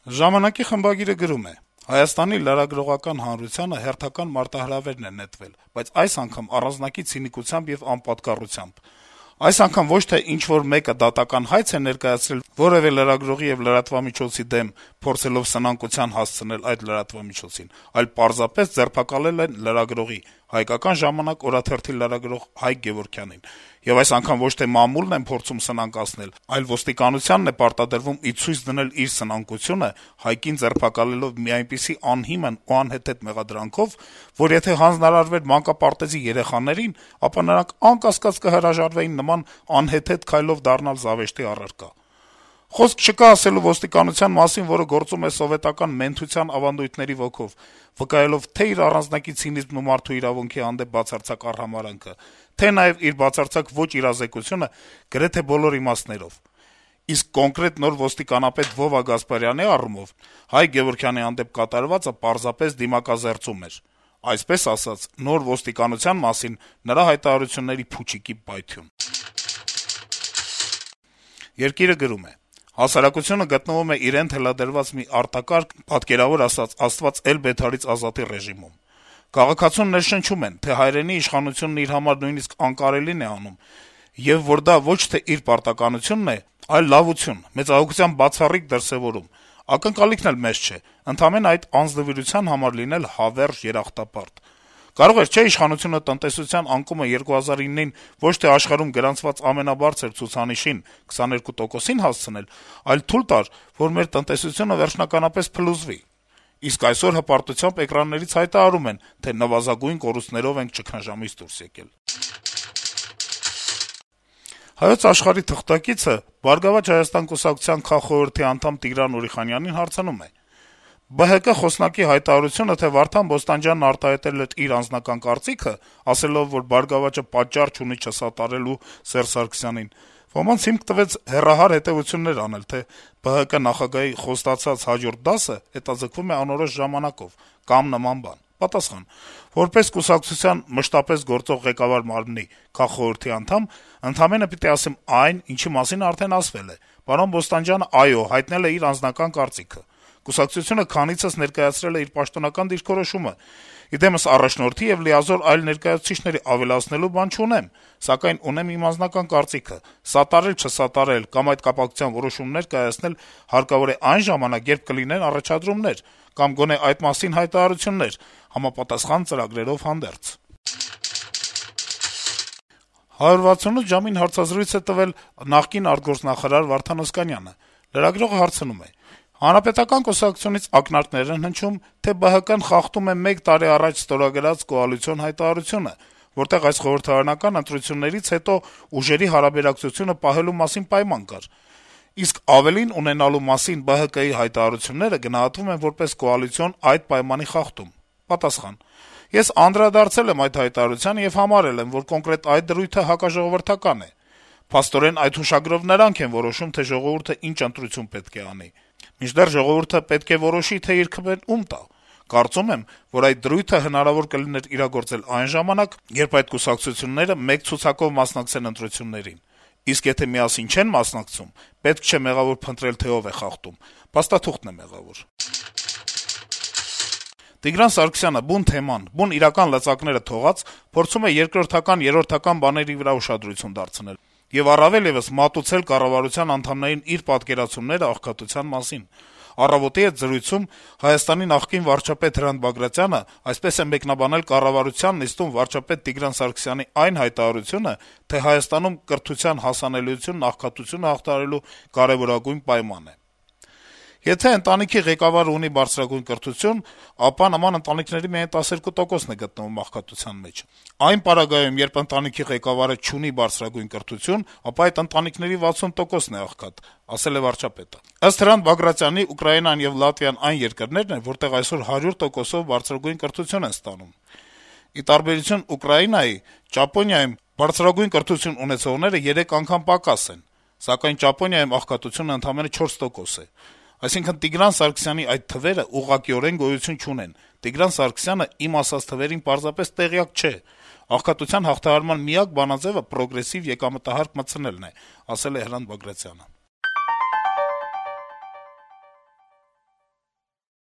Ժամանակի խմբագիրը գրում է. - «Հայաստանի լրագրողական հանրությանը հերթական մարտահրավերն է նետվել, բայց այս անգամ առանձնակի ցինիկությամբ եւ անպատկառությամբ: Այս անգամ ոչ թե ինչ-որ մեկը դատական հայց է ներկայացրել որեւէ լրագրողի եւ լրատվամիջոցի դեմ, փորձելով սնանկության հասցնել այդ լրատվամիջոցին, այլ պարզապես ձերբակալել են լրագրողի` «Հայկական ժամանակ» օրաթերթի լրագրող Հայկ Գեւորգյանին: Եվ այս անգամ ոչ թե մամուլն են փորձում սնանկացնել, այլ ոստիկանությանն է պարտադրվում ի ցույց դնել իր սնանկությունը` Հայկին ձերբակալելով մի այնպիսի անհիմն ու անհեթեթ մեղադրանքով, որ եթե հանձնարարվեր մանկապարտեզի երեխաներին, ապա նրանք անկասկած կհրաժարվեին նման անհեթեթ քայլով դառնալ զավեշտի առարկա: Խոսք չկա ասելու ոստիկանության մասին, որը գործում է սովետական մենթության ավանդույթների ոգով, վկայելով թե' իր առանձնակի ցինիզմն ու մարդու իրավունքի հանդեպ բացարձակ արհամարհանքը, թե' նաեւ իր բացարձակ ոչ իրազեկությունը գրեթե բոլոր իմաստներով: Իսկ կոնկրետ նոր ոստիկանապետ Վովա Գասպարյանի առումով Հայկ Գեւորգյանի հանդեպ կատարվածը պարզապես դիմակազերծում էր, այսպես ասած, նոր ոստիկանության մասին նրա հայտարարությունների փուչիկի պայթյուն»: «Երկիր»-ը գրում է. - «Հասարակությունը գտնվում է իրեն թելադրված մի արտակարգ, պատկերավոր ասած, Աստված էլ-Բեթարից ազատի ռեժիմում: Քաղաքացուն ներշնչում են, թե հայրենի իշխանությունն իր համար նույնիսկ անկարելին է անում, եւ որ դա ոչ թե իր պարտականությունն է, այլ լավություն, մեծահոգության բացառիկ դրսեւորում: Ակնկալիքն էլ մեծ չէ, ընդամենը այդ անձնվիրության համար լինել հավերժ երախտապարտ: Կարող էր, չէ՞, իշխանությունը տնտեսության անկումը 2009-ին ոչ թե աշխարհում գրանցված ամենաբարձր ցուցանիշին` 22%-ին հասցնել, այլ թույլ տար, որ մեր տնտեսությունը վերջնականապես փլուզվի: Իսկ այսօր հպարտությամբ էկրաններից հայտարարում են, թե նվազագույն կորուստներով ենք ճգնաժամից դուրս եկել»: «Հայոց Աշխարհ»-ի թղթակիցը «Բարգավաճ Հայաստան» կուսակցության քաղխորհրդի անդամ Տիգրան Ուրիխանյանին հարցնում է. - «ԲՀԿ խոսնակի հայտարարությունը, թե Վարդան Բոստանջյանն արտահայտել էր իր անձնական կարծիքը` ասելով, որ «Բարգավաճը» պատճառ չունի չսատարելու Սերժ Սարգսյանին, ոմանց հիմք տվեց հեռահար հետեւություններ անել, թե ԲՀԿ նախագահի խոստացած հաջորդ դասը հետաձգվում է անորոշ ժամանակով կամ նման բան: Պատասխան. որպես կուսակցության մշտապես գործող ղեկավար մարմնի քաղխորհրդի անդամ ընդամենը պիտի ասեմ այն, ինչի մասին արդեն ասվել է. պարոն Բոստանջյանը, այո, հայտնել է իր անձնական կարծիքը: Կուսակցությունը քանիցս ներկայացրել է իր պաշտոնական դիրքորոշումը: Իդեմս առաջնորդի եւ լիազոր այլ ներկայացուցիչների ավելացնելու բան չունեմ, սակայն ունեմ իմ անձնական կարծիքը: Սատարել-չսատարել կամ այդ կապակցությամբ որոշումներ կայացնել հարկավոր է այն ժամանակ, երբ կլինեն առաջադրումներ կամ գոնե այդ մասին հայտարարություններ, համապատասխան ծրագրերով հանդերձ»: «168 ժամ»-ին հարցազրույց է տվել նախկին արտգործնախարար Վարդան Օսկանյանը: Լրագրողը հարցնում է. - «Հանրապետական կուսակցությունից ակնարկներ են հնչում, թե ԲՀԿ-ն խախտում է մեկ տարի առաջ ստորագրած կոալիցիոն հայտարարությունը, որտեղ այս խորհրդարանական ընտրություններից հետո ուժերի հարաբերակցությունը պահելու մասին պայման կար: Իսկ ավելին ունենալու մասին ԲՀԿ-ի հայտարարությունները գնահատվում են որպես կոալիցիոն այդ պայմանի խախտում»: Պատասխան. - «Ես անդրադարձել եմ այդ հայտարարությանը եւ համարել եմ, որ կոնկրետ այդ դրույթը հակաժողովրդական է: Փաստորեն այդ հուշագրով նրանք են որոշում, թե ժողովուրդը ինչ ընտրություն պետք է անի: Մինչդեռ ժողովուրդը պետք է որոշի, թե իր քվեն ում տա: Կարծում եմ, որ այդ դրույթը հնարավոր կլիներ իրագործել այն ժամանակ, երբ այդ կուսակցությունները մեկ ցուցակով մասնակցեն ընտրություններին: Իսկ եթե միասին չեն մասնակցում, պետք չէ մեղավոր փնտրել, թե ով է խախտում: Փաստաթուղթն է մեղավոր»: Տիգրան Սարգսյանը բուն թեման, բուն իրական լծակները թողած, փորձում է երկրորդական, երրորդական բաների վրա ուշադրություն դարձնել եւ առավել եւս մատուցել կառավարության անդամներին իր պատկերացումները աղքատության մասին: «Առավոտ»-ի հետ զրույցում Հայաստանի նախկին վարչապետ Հրանտ Բագրատյանը այսպես է մեկնաբանել կառավարության նիստում վարչապետ Տիգրան Սարգսյանի այն հայտարարությունը, թե Հայաստանում կրթության հասանելիությունն աղքատությունը հաղթահարելու կարեւորագույն պայման է. - «Եթե ընտանիքի ղեկավարը ունի բարձրագույն կրթություն, ապա նման ընտանիքների միայն 12%-ն է գտնվում աղքատության մեջ: Այն պարագայում, երբ ընտանիքի ղեկավարը չունի բարձրագույն կրթություն, ապա այդ ընտանիքների 60%-ն է աղքատ», - ասել է վարչապետը: Ըստ Հրանտ Բագրատյանի, Ուկրաինան եւ Լատվիան այն երկրներն են, որտեղ այսօր 100%-ով բարձրագույն կրթություն են ստանում: Ի տարբերություն Ուկրաինայի, Ճապոնիայում բարձրագույն կրթություն ունեցողները 3 անգամ պակաս են, սակայն Ճապոնիայում աղքատությունը ընդամենը 4% է: Այսինքն Տիգրան Սարգսյանի այդ թվերը ուղղակիորեն գոյություն չունեն: Տիգրան Սարգսյանը իմ ասած թվերին պարզապես տեղյակ չէ: Աղքատության հաղթահարման միակ բանաձեւը պրոգրեսիվ եկամտահարկ մտցնելն է», - ասել է Հրանտ Բագրատյանը: